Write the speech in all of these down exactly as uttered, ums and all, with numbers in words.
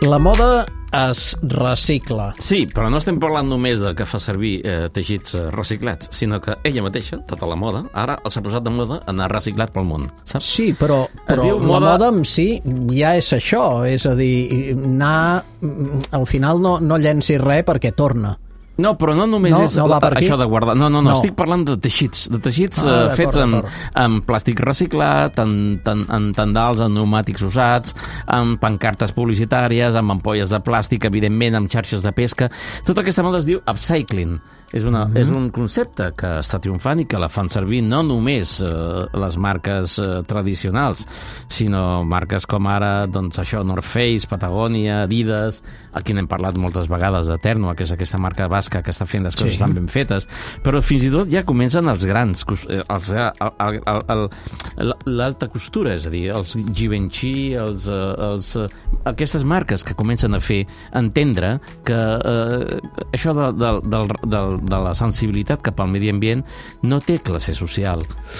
La moda es recicla. Sí, però no estem parlant només de que fa servir eh, teixits eh, reciclats, sinó que ella mateixa, tota la moda, ara s'ha posat de moda anar reciclat pel món, saps? Sí, però, però la moda... moda en si ja és això, és a dir, anar... Al final no, no llencis res perquè torna. No, però no només no, és no la, això de guardar... No, no, no, no, estic parlant de teixits, de teixits ah, uh, fets amb, amb plàstic reciclat, en, en, en tendals, en pneumàtics usats, amb pancartes publicitàries, amb ampolles de plàstic, evidentment, amb xarxes de pesca. Tota aquesta moda es diu upcycling. És, una, mm-hmm. és un concepte que està triomfant i que la fan servir no només eh, les marques eh, tradicionals, sinó marques com ara, doncs això, North Face, Patagònia, Adidas, aquí n'hem parlat moltes vegades de Ternua, que és aquesta marca basca que està fent les coses sí. tan ben fetes, però fins i tot ja comencen els grans, els, el, el, el, l'alta costura, és a dir, els Givenchy, els, els, aquestes marques que comencen a fer entendre que eh, això de, de, del, del de la sensibilitat cap al medi ambient no té classe social.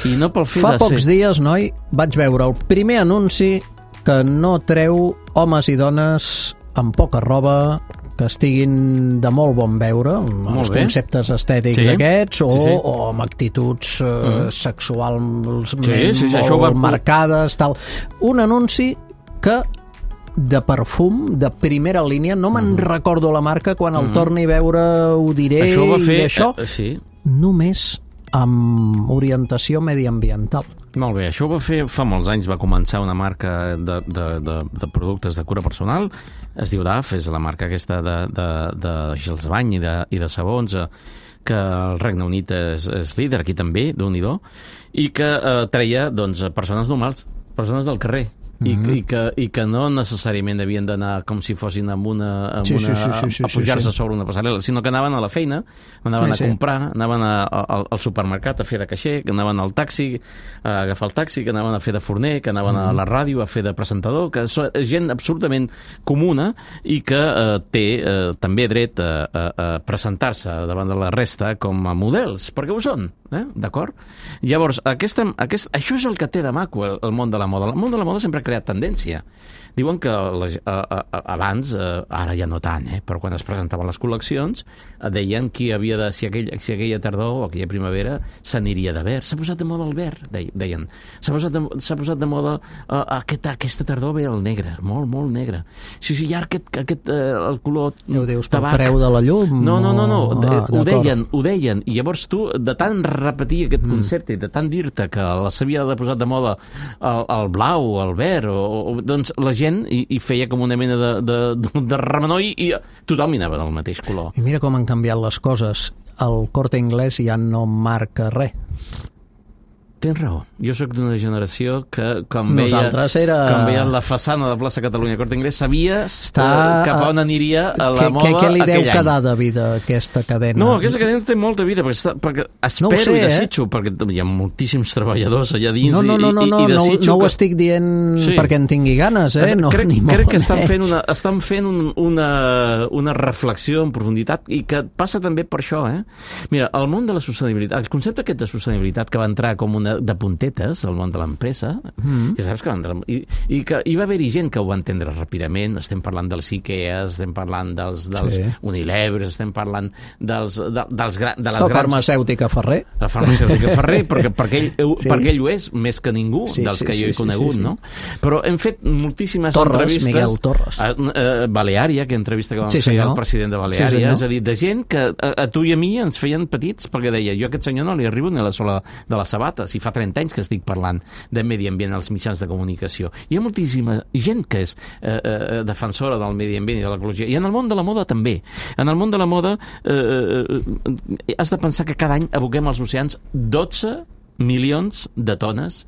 I no pel fet Fa de pocs ser... dies, noi, vaig veure el primer anunci que no treu homes i dones amb poca roba, que estiguin de molt bon veure, amb els bé. conceptes estètics sí. aquests, o, sí, sí. o amb actituds uh, mm. sexuals sí, sí, sí, molt va... marcades, tal. Un anunci que de perfum, de primera línia, no me'n mm. recordo la marca, quan el mm. torni a veure ho diré, això va fer, i això, eh, sí. només amb orientació mediambiental. Molt bé, això ho va fer fa molts anys, va començar una marca de, de, de, de productes de cura personal, es diu D A F, és la marca aquesta de, de, de gels de bany i de, i de sabons, que el Regne Unit és, és líder, aquí també, Déu-n'hi-do, i que eh, treia doncs, persones normals, persones del carrer, I, mm-hmm. i, que, i que no necessàriament havien d'anar com si fossin amb una, amb sí, una sí, sí, sí, a pujar-se sí, sí. sobre una passarel·la, sinó que anaven a la feina, anaven sí, a comprar, sí. anaven a, a, al supermercat a fer de caixer, que anaven al taxi, a agafar el taxi, que anaven a fer de forner, que anaven mm-hmm. a la ràdio a fer de presentador, que és gent absolutament comuna i que eh, té eh, també dret a, a, a presentar-se davant de la resta com a models, perquè ho són, eh? D'acord? Llavors, aquesta, aquest, això és el que té de maco el, el món de la moda. El món de la moda sempre ha creat tendència. Diuen que la, a, a, abans, a, ara ja no tant, eh, però quan es presentaven les col·leccions, deien qui havia de, si, aquell, si aquella tardor o aquella primavera s'aniria de verd. S'ha posat de moda el verd, deien. S'ha posat de, s'ha posat de moda uh, aquest, aquesta tardor ve el negre, molt, molt negre. Sí, sí, ja aquest, aquest uh, el color ja ho dius, tabac. Pel preu de la llum? No, no, no, no. Ah, de, ho d'acord. deien, ho deien. I llavors tu, de tant repetir aquest mm. concepte, de tant dir-te que s'havia de posar de moda el, el blau, el verd, o, o, doncs la gent i, i feia com una mena de, de, de, de remenoi i tothom hi anava del mateix color. I mira com han canviat les coses. El Corte Inglés ja no marca res. Tens raó. Jo sóc d'una generació que quan veia, era... quan veia la façana de plaça Catalunya Corte Inglés sabia Està... cap a on aniria a la que, moda que, que li deu aquell quedar any. de vida aquesta cadena? No, aquesta cadena té molta vida, perquè, està, perquè espero no sé, i desitjo, eh? perquè hi ha moltíssims treballadors allà dins no, no, no, no, i, i, i desitjo... No, no, no que... ho estic dient sí. perquè en tingui ganes, eh? No, crec ni crec que estan menys. fent, una, estan fent un, una, una reflexió en profunditat i que passa també per això, eh? Mira, el món de la sostenibilitat, el concepte aquest de sostenibilitat que va entrar com una de puntetes al món de l'empresa, mm. ja saps que va entrar, i, i que hi va haver-hi gent que ho va entendre ràpidament, estem parlant dels IKEA, estem parlant dels, dels sí. Unilever, estem parlant dels, de, dels gra, de les la grans... farmacèutica Ferrer. La farmacèutica Ferrer, perquè, perquè, ell, sí. perquè ell ho és, més que ningú, sí, dels sí, que jo sí, he conegut, sí, sí, sí. no? Però hem fet moltíssimes Torres, entrevistes... Miguel Torres. A, a Baleària, que entrevista que vam sí, fer senyor. al president de Baleària, sí, és a dir, de gent que a, a tu i a mi ens feien petits, perquè deia, jo a aquest senyor no li arribo ni a la sola de les sabates, i fa trenta anys que estic parlant de medi ambient als mitjans de comunicació. Hi ha moltíssima gent que és eh, eh, defensora del medi ambient i de l'ecologia. I en el món de la moda també. En el món de la moda eh, eh, has de pensar que cada any aboquem als oceans dotze milions de tones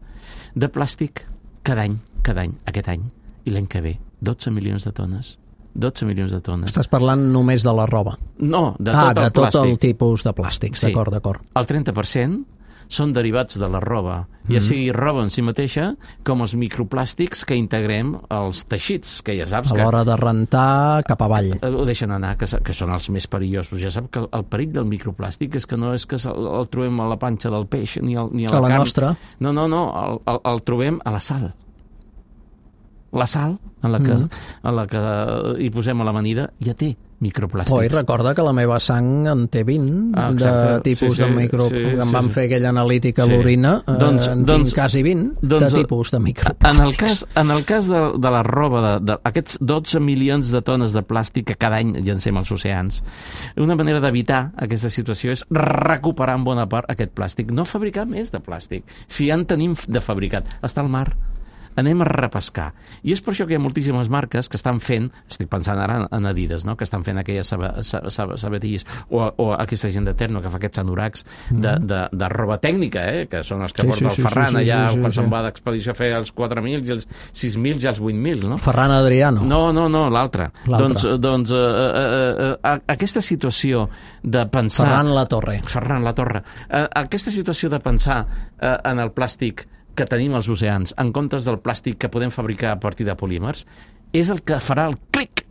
de plàstic cada any, cada any, aquest any. I l'any que ve, dotze milions de tones. dotze milions de tones. Estàs parlant només de la roba? No, de ah, tot el de tot plàstic. el tipus de plàstics, sí. d'acord, d'acord. El trenta per cent són derivats de la roba, mm. ja sigui roba en si mateixa com els microplàstics que integrem als teixits, que ja saps que... A l'hora de rentar cap avall. Ho deixen anar, que, que són els més perillosos. Ja sap que el perill del microplàstic és que no és que el, el trobem a la panxa del peix ni, el, ni a la a la carn. nostra. No, no, no, el, el, el trobem a la sal. la sal en la que, mm. en la que hi posem a l'amanida ja té microplàstics. Oi, recorda que la meva sang en té vint ah, de tipus sí, sí, de micro... Sí, sí, em van sí. fer aquella analítica sí. a l'orina, doncs, eh, en doncs, tinc quasi vint doncs, de tipus de microplàstics. En el cas, en el cas de, de la roba, de, de, aquests dotze milions de tones de plàstic que cada any llancem als oceans, una manera d'evitar aquesta situació és recuperar en bona part aquest plàstic, no fabricar més de plàstic. Si ja en tenim de fabricat, està al mar, anem a repescar. I és per això que hi ha moltíssimes marques que estan fent, estic pensant ara en Adidas, no? que estan fent aquelles sabatilles, o, o aquesta gent de Terno que fa aquests anoracs de, de, de roba tècnica, eh? que són els que sí, porta sí, el Ferran sí, sí, allà sí, sí, quan sí. se'n va d'expedició a fer els quatre mil, i els sis mil i els vuit mil. No? Ferran Adriano. No, no, no, l'altre. Doncs, doncs eh, eh, eh, aquesta situació de pensar... Ferran Latorre. Ferran Latorre. Eh, aquesta situació de pensar eh, en el plàstic que tenim als oceans, en comptes del plàstic que podem fabricar a partir de polímers, és el que farà el clic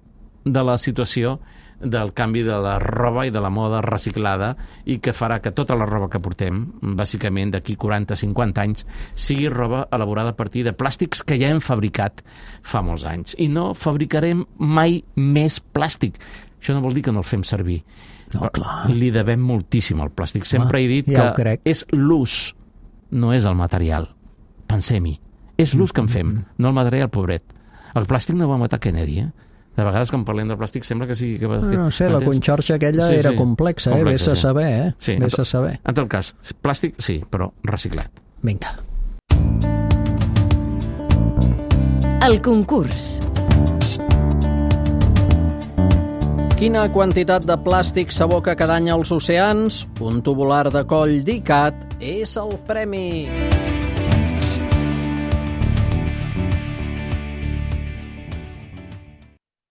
de la situació del canvi de la roba i de la moda reciclada i que farà que tota la roba que portem, bàsicament d'aquí quaranta a cinquanta anys, sigui roba elaborada a partir de plàstics que ja hem fabricat fa molts anys. I no fabricarem mai més plàstic. Això no vol dir que no el fem servir. No, clar. Li devem moltíssim al plàstic. Sempre ah, he dit ja que és l'ús, no és el material. Pensem-hi. És l'ús que en fem, no el material, pobret. El plàstic no va matar Kennedy, eh? De vegades, quan parlem del plàstic, sembla que sigui... Que... No, no sé, la conxorxa aquella sí, era sí, complexa, eh? Vés a sí. saber, eh? Sí, Vés a saber. En tot cas, plàstic, sí, però reciclat. Vinga. El concurs. Quina quantitat de plàstic s'aboca cada any als oceans? Un tubular de coll d'I C A T és el premi.